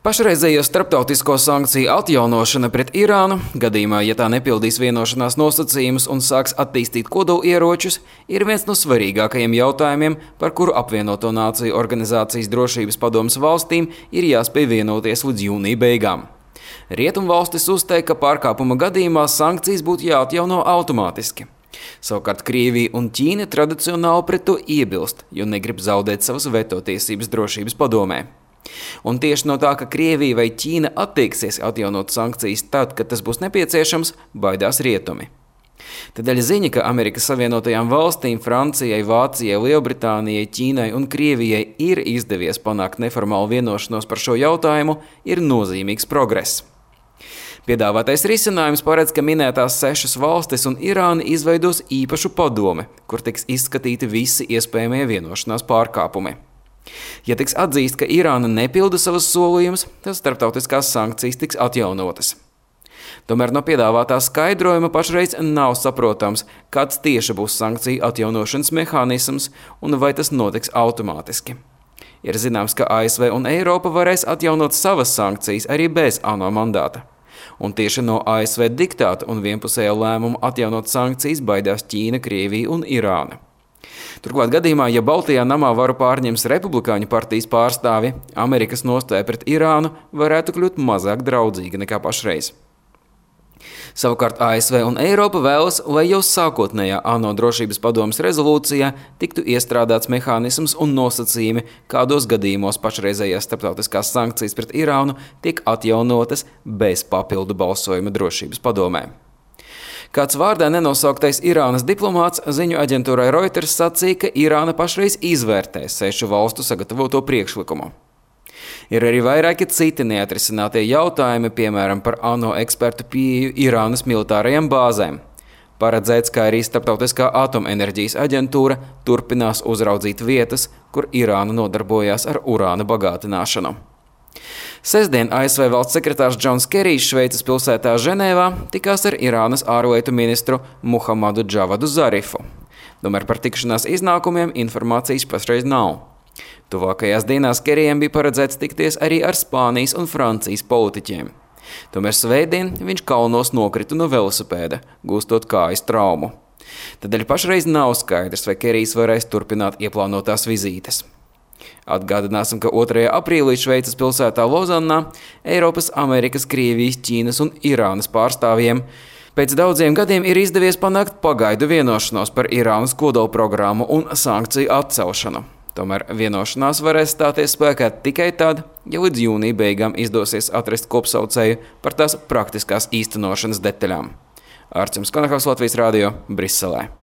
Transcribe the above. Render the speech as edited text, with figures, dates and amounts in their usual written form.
Pašreizējo starptautisko sankciju atjaunošana pret Irānu, gadījumā, ja tā nepildīs vienošanās nosacījumus un sāks attīstīt kodolieročus, ir viens no svarīgākajiem jautājumiem, par kuru Apvienoto Nāciju organizācijas drošības padomes valstīm ir jāspēj vienoties līdz jūnija beigām. Rietumvalstis uzteica, ka pārkāpuma gadījumā sankcijas būtu jāatjauno automātiski. Savukārt Krievija un Ķīna tradicionāli pret to iebilst, jo negrib zaudēt savas veto tiesības drošības padomē. Un tieši no tā, ka Krievija vai Ķīna attieksies atjaunot sankcijas tad, kad tas būs nepieciešams, baidās rietumi. Tādēļ ziņa, ka Amerikas Savienotajām valstīm, Francijai, Vācijai, Lielbritānijai, Ķīnai un Krievijai ir izdevies panākt neformālu vienošanos par šo jautājumu, ir nozīmīgs progress. Piedāvātais risinājums paredz, ka minētās 6 valstis un Irāna izveidos īpašu padome, kur tiks izskatīti visi iespējamie vienošanās pārkāpumi. Ja tiks atzīst, ka Irāna nepilda savas solījumus, tad starptautiskās sankcijas tiks atjaunotas. Tomēr no piedāvātā skaidrojuma pašreiz nav saprotams, kāds tieši būs sankciju atjaunošanas mehānisms un vai tas notiks automātiski. Ir zināms, ka ASV un Eiropa varēs atjaunot savas sankcijas arī bez ANO mandāta. Un tieši no ASV diktāta un vienpusējā lēmuma atjaunot sankcijas baidās Ķīna, Krievija un Irāna. Turklāt gadījumā, ja Baltijā namā varu pārņems Republikāņu partijas pārstāvi, Amerikas nostāja pret Irānu varētu kļūt mazāk draudzīga nekā pašreiz. Savukārt ASV un Eiropa vēlas, lai jau sākotnējā ANO drošības padomes rezolūcijā tiktu iestrādāts mehānisms un nosacījumi, kādos gadījumos pašreizējās starptautiskās sankcijas pret Irānu tiek atjaunotas bez papildu balsojuma drošības padomē. Kāds vārdā nenosauktais Irānas diplomāts ziņu aģentūrai Reuters sacīja, ka Irāna pašreiz izvērtē 6 valstu sagatavoto priekšlikumu. Ir arī vairāki citi neatrisinātie jautājumi, piemēram, par ANO ekspertu pieeju Irānas militārajām bāzēm. Paredzēts, ka arī Starptautiskā atomenerģijas aģentūra turpinās uzraudzīt vietas, kur Irāna nodarbojās ar urāna bagātināšanu. Sestdien ASV valsts sekretārs Džons Kerijs Šveices pilsētā Ženēvā tikās ar Irānas ārlietu ministru Muhamadu Džavadu Zarifu. Tomēr par tikšanās iznākumiem informācijas pašreiz nav. Tuvākajās dienās Kerijam bija paredzēts tikties arī ar Spānijas un Francijas politiķiem. Tomēr svētdien viņš kalnos nokrita no velosipēda, gūstot kājas traumu. Tādēļ pašreiz nav skaidrs, vai Kerijs varēs turpināt ieplānotās vizītes. Atgādināsim, ka 2. aprīlī Šveices pilsētā Lozannā Eiropas, Amerikas, Krievijas, Ķīnas un Irānas pārstāvjiem pēc daudziem gadiem ir izdevies panākt pagaidu vienošanos par Irānas kodolprogrammu un sankciju atcelšanu. Tomēr vienošanās varēs stāties spēkā tikai tad, ja līdz jūnija beigām izdosies atrast kopsaucēju par tās praktiskās īstenošanas detaļām. Ārķis Konahaus, Latvijas Rādio, Briselē.